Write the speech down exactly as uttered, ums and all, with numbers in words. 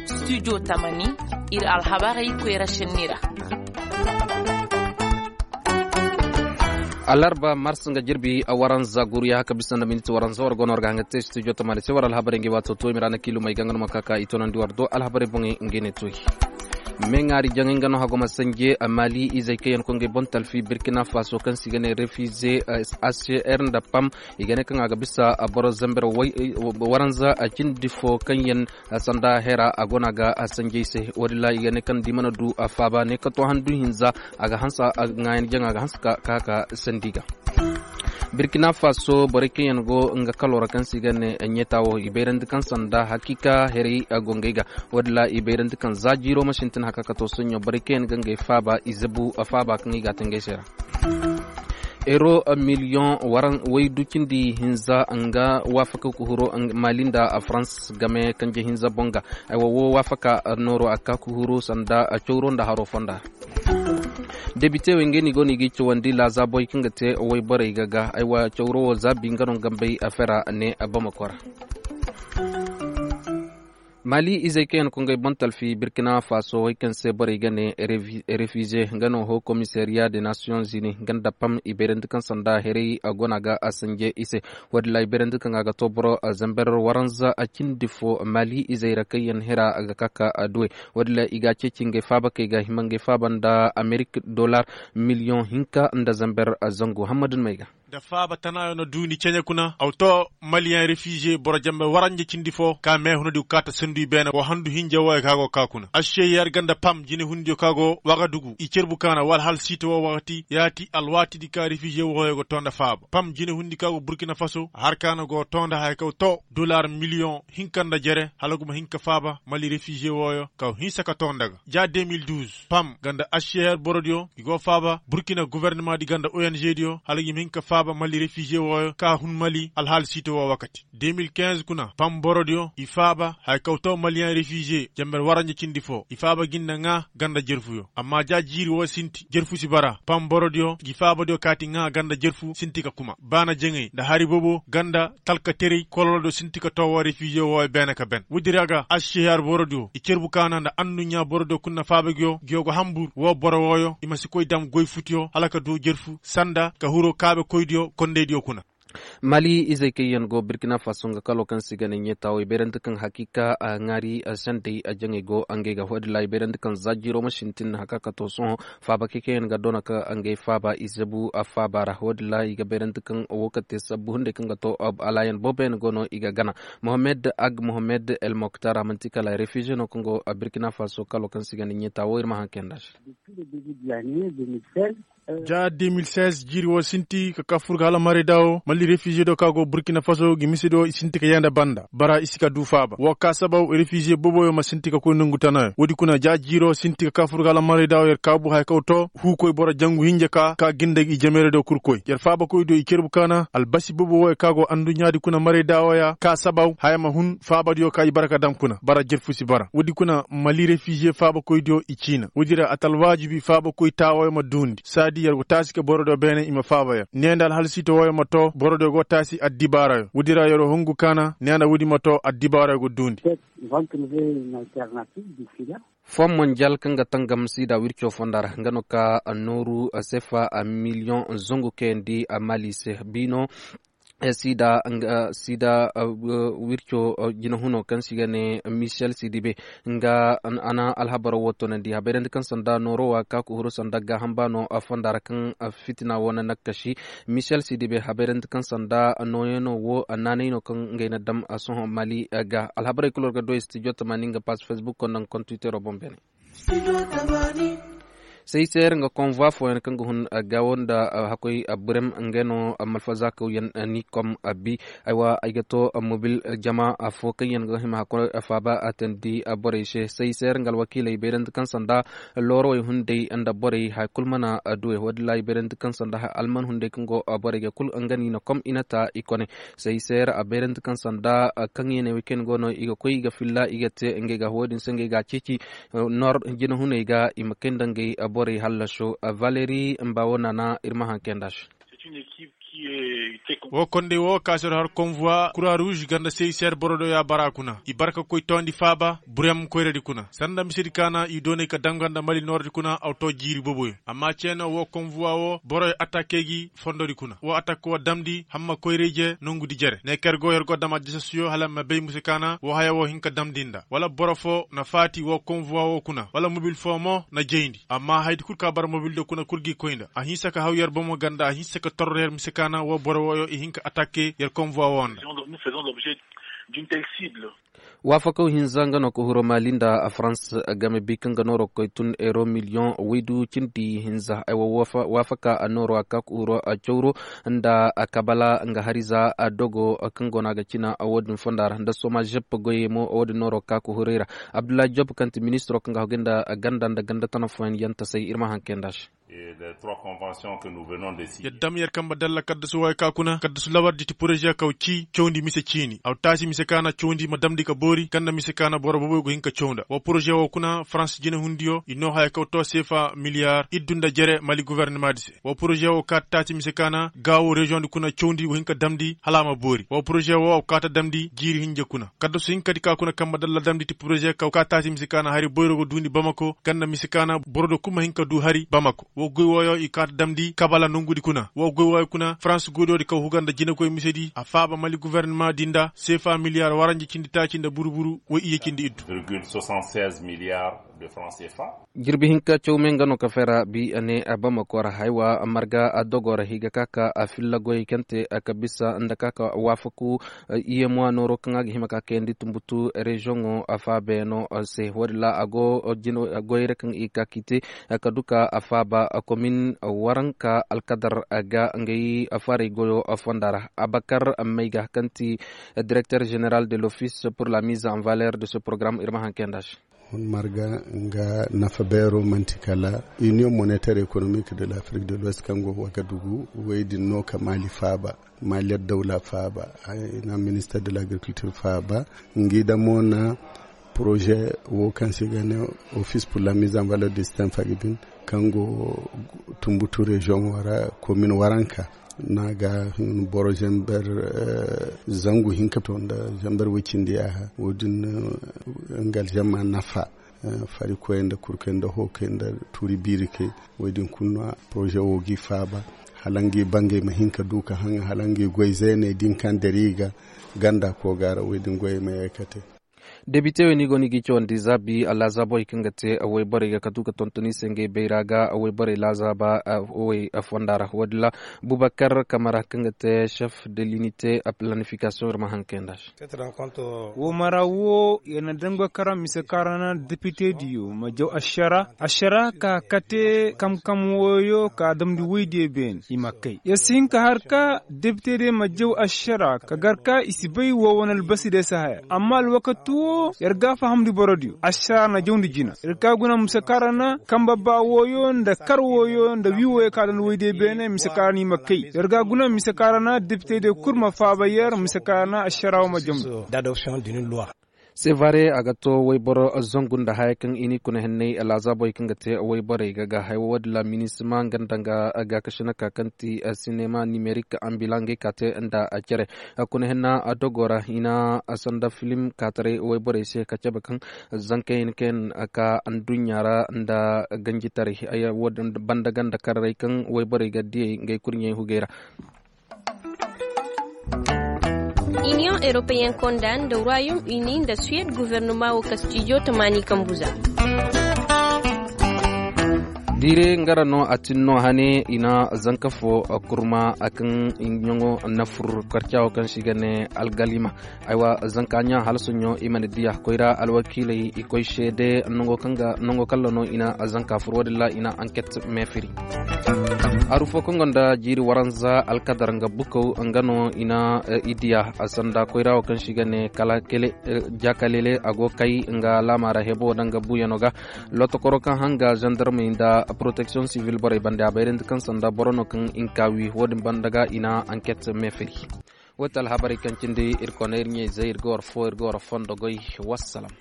Studio tamani, ir alhabarey koyra senni ra. Alarba mars nga jirbi waranza guru ya haka bisa nda miniti waranza war gono war ga hanga te studio tamani se war alhabarey ngi wato to imira na kilu mai ganga numa kaka i tonandi war do alhabarey boŋey ngi ne toy. Meŋaari jaŋay nga no hago ma sanje mali izey kaŋ yaŋ koy ngey boŋ talfi burkina faso kaŋ se i ga ne refize, hcr nda pam. I ga ne kaŋ a ga bisa boro zamber waranza cindi fo kaŋ yaŋ sanda hera a go no a ga sanjey se. Wo-din ra i ga ne kaŋ da i mana du faaba ne ka to handu hinza a ga hanse. Ŋaayan jaŋa a ga hanse ka ka ka sandi ga. Burkina faso borey kaŋ yaŋ go nga kalo ra kaŋ se i ga ne ɲeeta wo i bayrandi kaŋ sanda hakiika herey go ngey ga. Wo-din ra i bayrandi kaŋ za jiiro ma sintin haka ka to soɲõ borey kaŋ yaŋ ga ngey faaba i zabu faaba kaŋ i ga a te ngey se ra. Euro miliyoŋ waydu cindi hinza nga waafaka ka huru mali nda farans game kanje hinza boŋ ga. Aywa wo waafaka nooro a ka ka huru sanda cawro nda haro fonda ra. Debite wey ngey no i go no i ga i cawandi laazaabo wey kaŋ ga te wayborey ga ga aywa cawro wo zaabi nga no nga mbay afera ne bamako ra. Mali izey kaŋ yaŋ koy ngey boŋ talfi burkina faso wey kaŋ se borey ga ne refize nga no ho komisariya de nation zini nga nda pam i bayrandi kaŋ sanda herey go no a ga a sanje i se. Wo-din ra i bayrandi kaŋ a ga to boro zamber waranza cindi fo mali izey ra kaŋ yaŋ hira ga ka ka duwey. Wo-din ra i ga a ceeci ngey faaba kay ga hima ngey faaba nda amerik dolar miliyoŋ hinka nda zamber zangu hammadun may ga. Da faaba tanaayo na duuni ceɲe kuna aw to maliyaŋ refize boro jambe waranja cindi fo ka meehunadi go kaata sandu i beene wo handu hinja wooyo ka go ka kuna ašeyer ganda pam jinehundiyo ka go wagadugu i cerbu kaana wala hal siita woo wakati yaati alwaatidi ka refize wooyo go too nda faaba pam jinehundi ka go burkina faso har kaana go too nda haya kaw to dolar miliyoŋ hinka nda jere hala guma hinka faaba mali refize wooyo kaw hinsa ka too nda ga ja de mil duuz pam ganda ašeyer borodiyo i go faaba burkina gofornamaadi ganda ongdiyo hala gi ma hin ka faaba mali refize wooyo ka hun mali alhaali siito woo wakati de mil kinz kuna pam borodiyo i faaba haya kaw too maliyaŋ refize jamber waranja cindi foo i faaba gi nda ŋaa ganda jerfuyo amma ja jiiri woo sinti jerfu si bara pam borodiyo gi faabadiyo kaati ŋaa ganda jerfu sinti ka kuma baana jaŋay nda hari bobo ganda talkaterey kololodiyo sinti ka too woo refize wooyo beene ka ben woodi ra ga ašehar borodiyo i cerbu kaana nda annuɲɲa borodiyo kuna faaba giyo giyo go hambur woo boro wooyo i ma si koy dam goy futiyo hala ka duu jerfu sanda ka huru kaabekoydiyo kondaydiyo kuna. Mali izey kaŋ yaŋ go burkina faso nga kalo kaŋ se i ga ne ɲeetaawo i bayrandi kaŋ hakiika ŋaari sendey jaŋey go ngey ga hoodin ra i bayrandi kaŋ za jiiro ma sintin haka ka to sohõ faabakey kaŋ yaŋ ga doona ka ngey faaba i zabu faaba ra hoodin ra i ga bayrandi kaŋ wo ka te sabbu hunday kaŋ ga to alaayan boobo yaŋ go no i ga gana. Mohamed ag mohamed el moktar a manti kala refize no kaŋ go burkina faso kalo kaŋ se i ga ne ɲeetaawo ir ma haŋ kayandi a se. Ja de mil seize jiiri woo sinti ka ka fur ga hala marayda woo mali refize do ka go burkina faso gi mise do i sinti ka yee nda banda bara i si ka duu faaba woo ka sabaw refize boboyo ma sinti ka koy nongu tanayo woodi kuna ja jiiro sinti ka ka fur ga hala marayda woo yer kaabu haya kaw too huukoy boro jangu hinja ka ka ginda i jameeraydo kul koy yer faabakoydo i cerbu kaana albasi bobo wooyo ka go anduɲɲaadi kuna marayda wooya ka sabaw haya ma hun faabadiyo ka i bara ka dam kuna bara jerfu si bara woodi kuna mali refize faabakoydiyo i ciina woodi ra a ta alwaajibi faabakoy taawooyo ma duundi saadi yer go taasi ka borodiyo beene i ma faaba yer nee nda alhalsiito wooyo ma too borodiyo go taasi addibaarayo woodi ra yer wo hungu kaana nee nda woodi ma too addibaarayo go duundi. Fom monjal kaŋ ga tangam siida wirco fonda ra nga no ka nooru sefa miliyoŋ zangu kayandi mali se biino. Siida nga siida wirco jinahuno kaŋ se i ga ne michel sidibe nga a na alhabaro wo toonandi habayrandi kaŋ sanda nooro wa ka ka huru sanda gaaham baano fonda ra kaŋ fitina wo na nakkaši. Michel sidibe habayrandi kaŋ sanda nooyano wo naanay no kaŋ ngey na dam sohõ mali ga alhabarey kulu war ga doy studio tamaani nga pass facebook konda nga kontiwitero boŋ beene. Seyser nga konvoi fooyaŋ kaŋ ga hun gaawo nda hakkoy burem ngey no malfazaakaw yaŋ ni kom bi. Aywa ay ga to mobil jama foo kaŋ yaŋ ga hima hakkoy faaba atandi borey se seyser nga alwakiiley bayrandi kaŋ sanda loorowey hunday nda borey haya kulu mana duwey woodin ra i bayrandi kaŋ sanda alman hunday kaŋ go borey ga kulu nga no i na kom i na ta i kone. Seyser a bayrandi kaŋ sanda kaŋ yaŋ ne wey kaŋ go no i ga koy i ga filla i ga te ngey ga woodin se ngey ga a ceeci. Nor jinahuney ga i ma kay nda ngey borey hallaso. Valeri mba wo naana ir ma haŋ kay nd'a se. Woo konday woo ka se har konvuwa kura ruuz ganda sey ser boro do ya bara kuna i bara ka koy toondi faaba burem koyradi kuna sanda misedi ka na i doonay ka danga nda mali nooradi kuna aw too jiiri boboyo amma ceeno woo konvuwa woo boroyo attakke gi fondodi kuna woo attakko wa damndi hamma koyra-ije nongudi jere ne ka yer go yer go dam addisasiyo hala ma bay mise ka na woo haya woo hin ka damndi nda wala boro foo na faati woo konvuwa woo kuna wala mobil foo mo na jayndi amma hayadi kul ka bara mobil do kuna kul gi koy nda a hinsa ka haw yer bomo ganda a hinsa ka torro yer mise ka na woo boro wooyo i hin ka attakke yer konvuwa woo nda. Waafakaw hinza nga no ka huro mali nda farans game bi kaŋ ga nooro ga koy tun euro miliyoŋ waydu cindi hinza ay wa waafaka nooro a ka ka huro cawro nda kabala nga hariza dogo kaŋ go no a ga cina wo-din fonda ra nda soma žep goyey mo wo-din nooro ga ka ka huro i ra. Abdullahi job kaŋ ti ministiro kaŋ ga hagu nda ganda nda ganda tana fooyaŋ yaŋ tasay ir ma haŋ kay nda se. Yadda ma yer kambe dalla kaddasu wooyo ka kuna kaddasu lawardi ti poroze kaw ci cawndi mise ciini aw taasi mise ka na cawndi ma damndi ka boori kaŋ nda mise ka na boro boboyo go hin ka caw nda woo poroze woo kuna farans jinehundiyo i noo haya kaw too seefa miliyar iddu nda jere mali gofornimaadi se woo poroze woo kaata taasi mise ka na gaawo reziyoŋdi kuna cawndi go hin ka damndi hala a ma boori woo poroze woo aw kaata damndi jiiri hinja kuna kaddasu hinkadi ka kuna kambe dalla damndi ti poroze kaw kaata taasi mise ka na hari boyro go duundi bamako kaŋ nda mise ka na boro do kul ma hin ka duu hari bamako woo goy wooyo i kaata damndi kabala nongudi kuna woo goy wooyo kuna farans goydoodi kaw huga nda jinekoy misedi a faaba mali gofornimaadi nda seefa miliyar waranja cindi taaci nda buru-buru woy iyye cindi iddu. Jirbi hinka cawme nga no ka fera bi ne bamako ra haywa marga dogo ra i ga ka ka filla goyey kaŋ te ka bisa nda ka ka waafaku iyye mo a nooro kaŋ a ga hima ka kayandi tumbutu reziyoŋo faabeyaŋo se woodin ra a go goyey ra kaŋ i ga ka k'i te ka du ka faaba komin waranka alkadar ga ngay farey goyo fonda ra abakar mayga kaŋ ti direkter general de l'office pour la mise en valeur de ce programme ir ma haŋ kayandi a se. Hun marga nga nafa beero man'ti kala union monetaire économique de l'afrique de l'ouest kaŋ go wagadugu wey din no ka maali faaba maali addawla faaba ay na minister de l'agriculture faaba ngi da mo na projet wo kaŋ se i ga ne office pour la mise en valeur de système fagibin kaŋ go tumbutu région wo ra commune waranka no a ga hin boro zamber zangu hinka to nda zamber woy cindi yaaha wo- din nga aljamma nafa farikoy nda kurkey nda hookey nda tuuri biirikey wo- din kulu no a projet wo g'i faaba hala ngi bangey ma hin ka du ka haŋ hala ngi goy zeeney din kaŋ deri i ga ganda kooga ra wo- din goyey ma yee ka te. Debite wey no i go no i g'i cawandi zaabi laazaabey kaŋ ga te wayborey ga ka du ka tonton i se ngey bayra ga wayborey laazaaba wey fonda ra wo- din ra bubakar kamara kaŋ ga te chef de l'unité planification ir ma haŋ kayandi a se. Woo mara woo yer na dango karaŋ mise kaŋ ra na depitediyo ma jaw ašara ašara ka kate kamkam wooyo ka damndi woydiyo beene i ma kay yer si hin ka har ka depitediyo ma jaw ašara ka gar ka i si bay woo wane albasidiyo si haya amma alwakati woo yer ga a fahamndi borodiyo ašara na jawndi jina yer ka guna mise kaŋ ra na kambe ba wooyo nda kar wooyo nda wii wooyo ka damndi woydiyo beene mise kaŋ ra na i ma kay yer ga a guna mise kaŋ ra na depitediyo kul ma faaba yer mise kaŋ ra na ašara woo ma jawndi. Sevare a ga to wayboro zangu nda haya kaŋ i n'i kuna henney laazaabey kaŋ ga te wayborey ga ga haya woodin ra minisima nga nda nga gaakasina ka kaŋ ti sinema nimerik ambila ngey ka te nda cere kuna henna dogo ra i na sanda filim kaataray wayborey se ka cabe kaŋ zankey hin ka yaŋ ka adduɲɲa ra nda ganjitaray banda ganda kararey kaŋ wayborey ga diyey ngey kurɲey hugey ra. Iniyoŋ europeyen konda nda royaume uni nda suwed guvernoma wo ka stijo tamaani kambu za. Diire nga ra no a tin no hane i na zanka fo kurma kaŋ ɲaŋo na fur karca wo kaŋ se i ga ne algalima. Aywa zanka ɲa hala soɲo i mana diya koyra alwakiiley i koy seede nango kaŋ ga nango kalla no i na zanka fur wo-din ra i na anket meefiri. Aru fo kaŋ gonda jiiri waranza alkadar nga bukaw nga no i na i diya sanda koyra wo kaŋ se i ga ne kala kele jakalele a go kay nga laama ra hebo da nga buyano ga. Lotokoro kaŋ hanga zandarmey nda protection civil borey bande a bayrandi kaŋ sanda boro no kaŋ i na ka wi wo-din banda ga i na anket meefiri. Wo ti alhabarey kaŋ cindi ir kona ir ɲayzey ir ga war fo ir ga war fondo goy. Wassalam.